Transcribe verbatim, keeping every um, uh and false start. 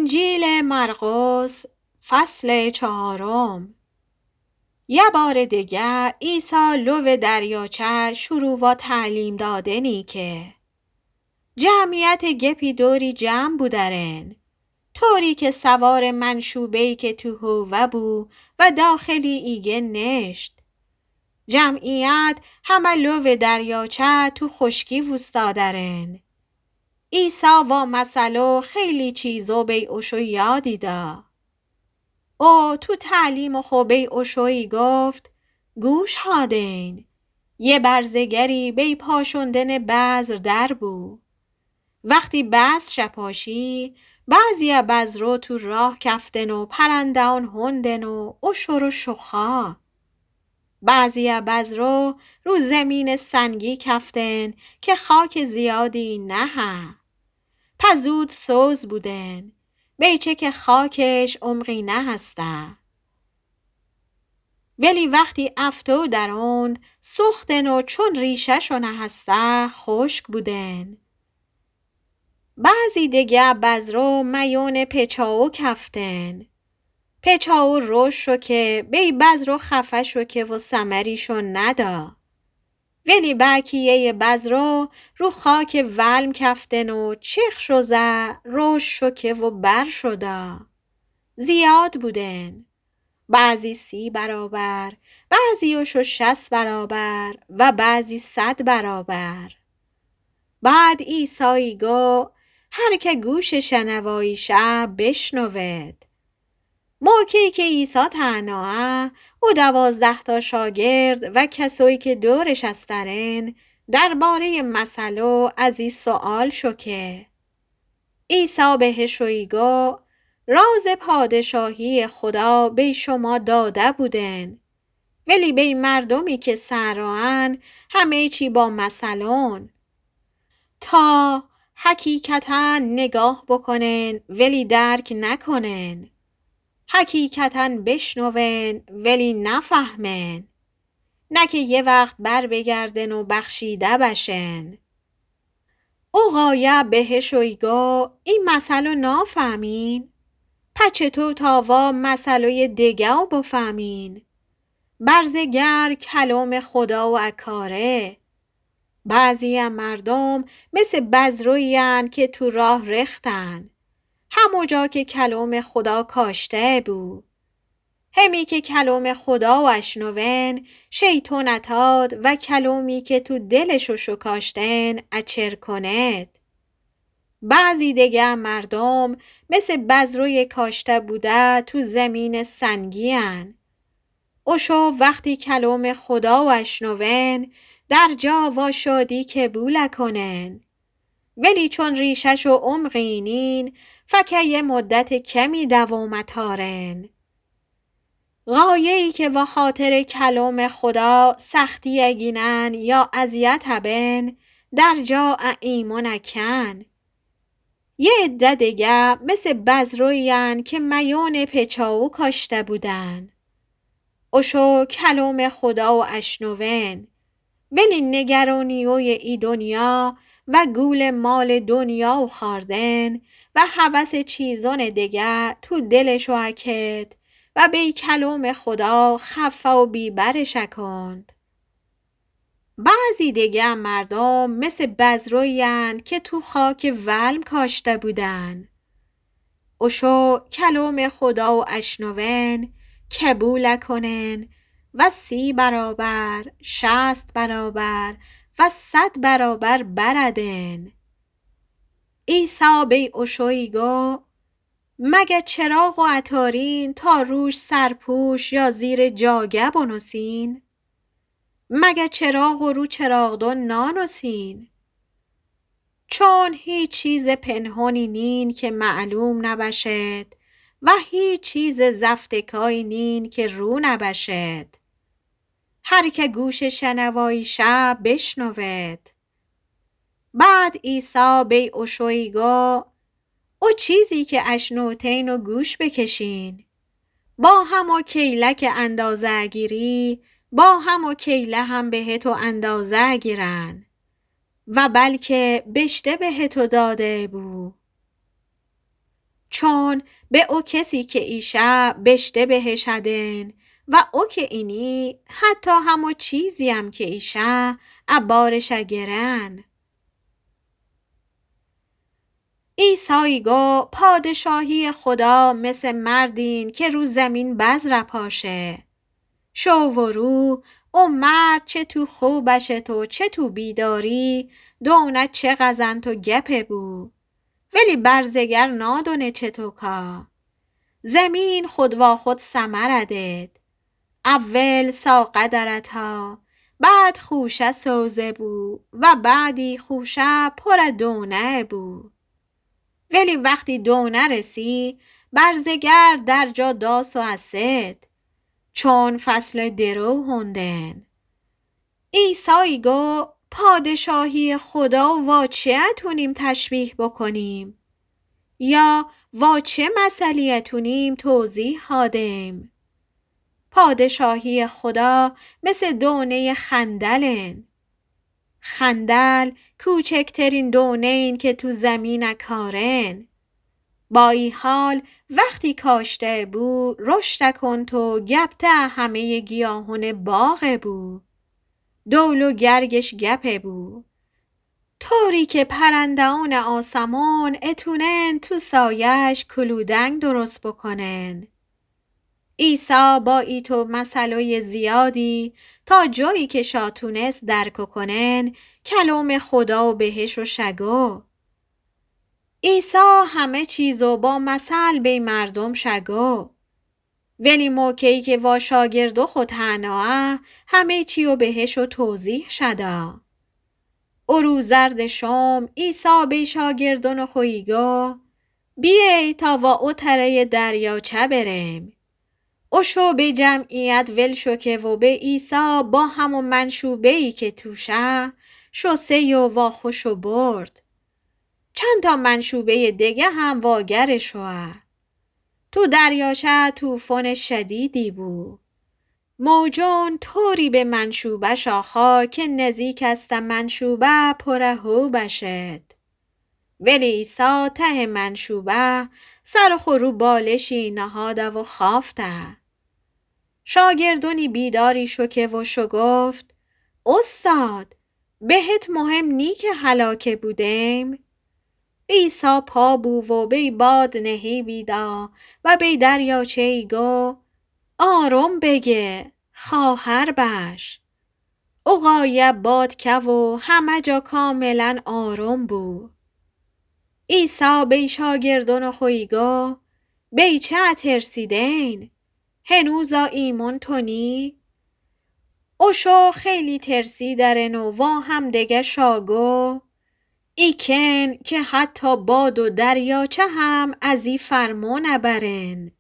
انجیلٚ مرقس، فصلٚ چهارم. یه بارٚ دگه عیسی لوٚ دریاچه شروع وا تعلیم دادنی که جمعیتٚ گپی دوری جمع بودرن، طوری که سوارٚ منشوبه‌یی که تو حووه بو و داخلی ایگه نشت. جمعیت همه لوٚ دریاچه تو خوشکی ووستادرن. عیسی وا مثلو خیلی چیزو بی اوشو یادی دا. او تو تعلیم خو بی اوشویی گفت: گوش هادین. یه برزگری بی پاشوندنٚ بذر در بو. وختی بذر شپاشی، بعضیه بذرو تو راه کفتن و پرنده‌ان هوندن و اوشورو شوخا. بعضیه بذرو رو زمینٚ سنگی کفتن که خاکٚ زیادی نهه. په زود سوز بودن، بیچه که خاکش عمقی نهسته. ولی وختی افتو دروند، سوختن و چون ریشه‌شو نهسته، خوشک بودن. بعضی دگه بذرو میونٚ پیچاو کفتن. پیچاو روش شو که بی بذرو خفه شو که و ثمریشو ندا. ولی بأکیه‌یٚ بذرو رو خاکٚ ولم کفتن و چیخ شو زه، روش شو که و بر شو دا. زیاد بودن. بعضی سی برابر، بعضی اوشو شصت برابر و بعضی صد برابر. بعد عیسایی گو: هر که گوشٚ شنوایی شه، بشنود. موقعی که عیسی تنهایه، او دوازده‌تا شاگرد و کسویی که دورش استرن، درباره‌یٚ مثلو از ای سؤال شو که عیسی بهشویی گو: رازٚ پادشاهیٚ خدا بی شما داده بودن، ولی بی مردومی که سر راهن همه چی با مثلون، تا حقیقتاً نگاه بکنن ولی درک نکنن، حقیقتاً بشنون ولی نفهمن، نه که یه وقت بر بگردن و بخشیده بشن. او غایه بهشویی گو: ای مثلو نافهمین؟ په چطو تا وا مثلویٚ دگه‌و بفهمین؟ برزگر کلومٚ خداو اکاره. بعضیه مردوم مثل بذرویی‌ان که تو راه رختن، همو جا که کلومٚ خدا کاشته بو. همی که کلومٚ خداو اشنون، شیطون اتاد و کلومی که تو دلشو شکاشتن اچر کند. بعضی دگه مردوم مثل بذروی کاشته بوده تو زمینٚ سنگی‌ان. اوشو وختی کلومٚ خداو اشنون، در جا وا شادی قبول کنن. ولی چون ریشه‌شو عمقی نین، فقط یه مدت کمی دوام اتارن. غایه‌یی که واخاطرٚ کلومٚ خدا سختی گینن یا اذیت بن، در جا ا ایمون کن. یه عده دگه مثل بذرویی‌ان که میونٚ پیچاو کاشته بودن. اوشو کلومٚ خداو اشنون، ولی نگرانیوی ای دنیا و گول مالٚ دنیا و خوأردن و هوسٚ چیزونٚ دگه تو دلشو اکت و بی کلومٚ خدا خفه و بی‌برش اکند. بعضی دگه مردوم مثل بذرویی‌ان که تو خاکٚ ولم کاشته بودن. اوشو کلومٚ خداو اشنون، قبول کنن و سی برابر، شصت برابر و صد برابر بردن. عیسی بی اوشویی گو، مگه چراغو اتارین تا روش سرپوش یا زیرٚ جاگه بنوسین؟ مگه چراغو رو چراغدان نانوسین؟ چون هیچ چیزٚ پنهانی نین که معلوم نبشد و هیچ چیزٚ زفتکایی نین که رو نبشد. هر که گوشٚ شنوایی شه بشنود. بعد عیسی بی اوشویی گو، او چیزی که اشنوتین و گوش بکشین. با همو کیله که اندازه گیری، با همو کیله هم بهتو اندازه گیرن و بلکه بیشتر بهتو داده بو. چون به او کسی که ایشأ بشته بهشأدن و او که اینی حتی همو چیزییم که ایشأ ا بارشأ گرن. عیسی ایگو پادشاهی خودا مث مردین که رو زمین بذرأ پاشه. شو و رو، او مرد چه تو خوبأ شت و چه تو بیداری، دؤنه چه غزنت و گپه بو. ولی برزگر نادؤنه چه تو کا. زمین خود واخود ثمرأ دد. اول ساقه درتا، بعد خوشه سوزه بو و بعدی خوشه پورٚ دؤنه بو. ولی وختی دؤنه رسی، برزگر درجا داس و اسد، چون فصلٚ درو هوندن. عیسی ایگو پادشاهی خودا وا چه اتونیم تشبیه بکنیم؟ یا وا چه مثلی اتونیم توضیح هادیم؟ پادشاهی خودا مث دؤنه‌یٚ خندلن. خندل کوچکترین دؤنه‌یین که تو زمینأ کارن. با ای حال وختی کاشته بو، رشدأ کونت و گپته همه‌یٚ گیاهونٚ باغ بو. دول و گرگش گپه بو. طوری که پرنده‌یأنٚ آسمون اتونن تو سایه‌ش کلودنگ درست بکنن. عیسی با ایتو مثلویٚ زیادی تا جایی که شا تونست درک کنن، کلومٚ خودا و بهشو شگو. عیسی همه چیزو با مثل بی مردوم شگو. ولی موکه‌یی که وا شاگردو خو تنها ا، همه چیو بهشو توضیح شدا. او روز زردٚ شوم عیسی بی شاگردونٚ خو ایگو: بیأی تا وا او تره‌یٚ دریاچه بریم. او شو بی جمعیت ول شوکه و بی عیسی با همو منشوبه‌یی که توشه، شو سه یو وا خوشو برد. چندتا منشوبه‌یٚ دگه هم واگرٚ شوه. تو دریاچه طوفانٚ شدیدی بو. موجون طوری به منشوبه شاخا که نزیک استه منشوبه پورٚ حوبه شد. ولی عیسی ته منشوبه سرٚ خو رو بالشی نهاده و خافته. شاگردونی بیداری شوکه و شوگفت: اوستاد، بهت مهم نی که هلاکه بودیم؟ عیسی پا بو و بی باد نهیبیدا و بی دریاچه ایگو: آروم بگه، خواهر بش. او غایب باد که و همه جا کاملا آروم بو. عیسی بی شاگردونٚ خو ایگو: بی چه اترسیدین؟ هنوزا ایمون تونی؟ او شو خیلی ترسیدرن و وا همدگه شاگو: ای کئن که حتی باد و دریاچه هم از ای فرمون ابرن.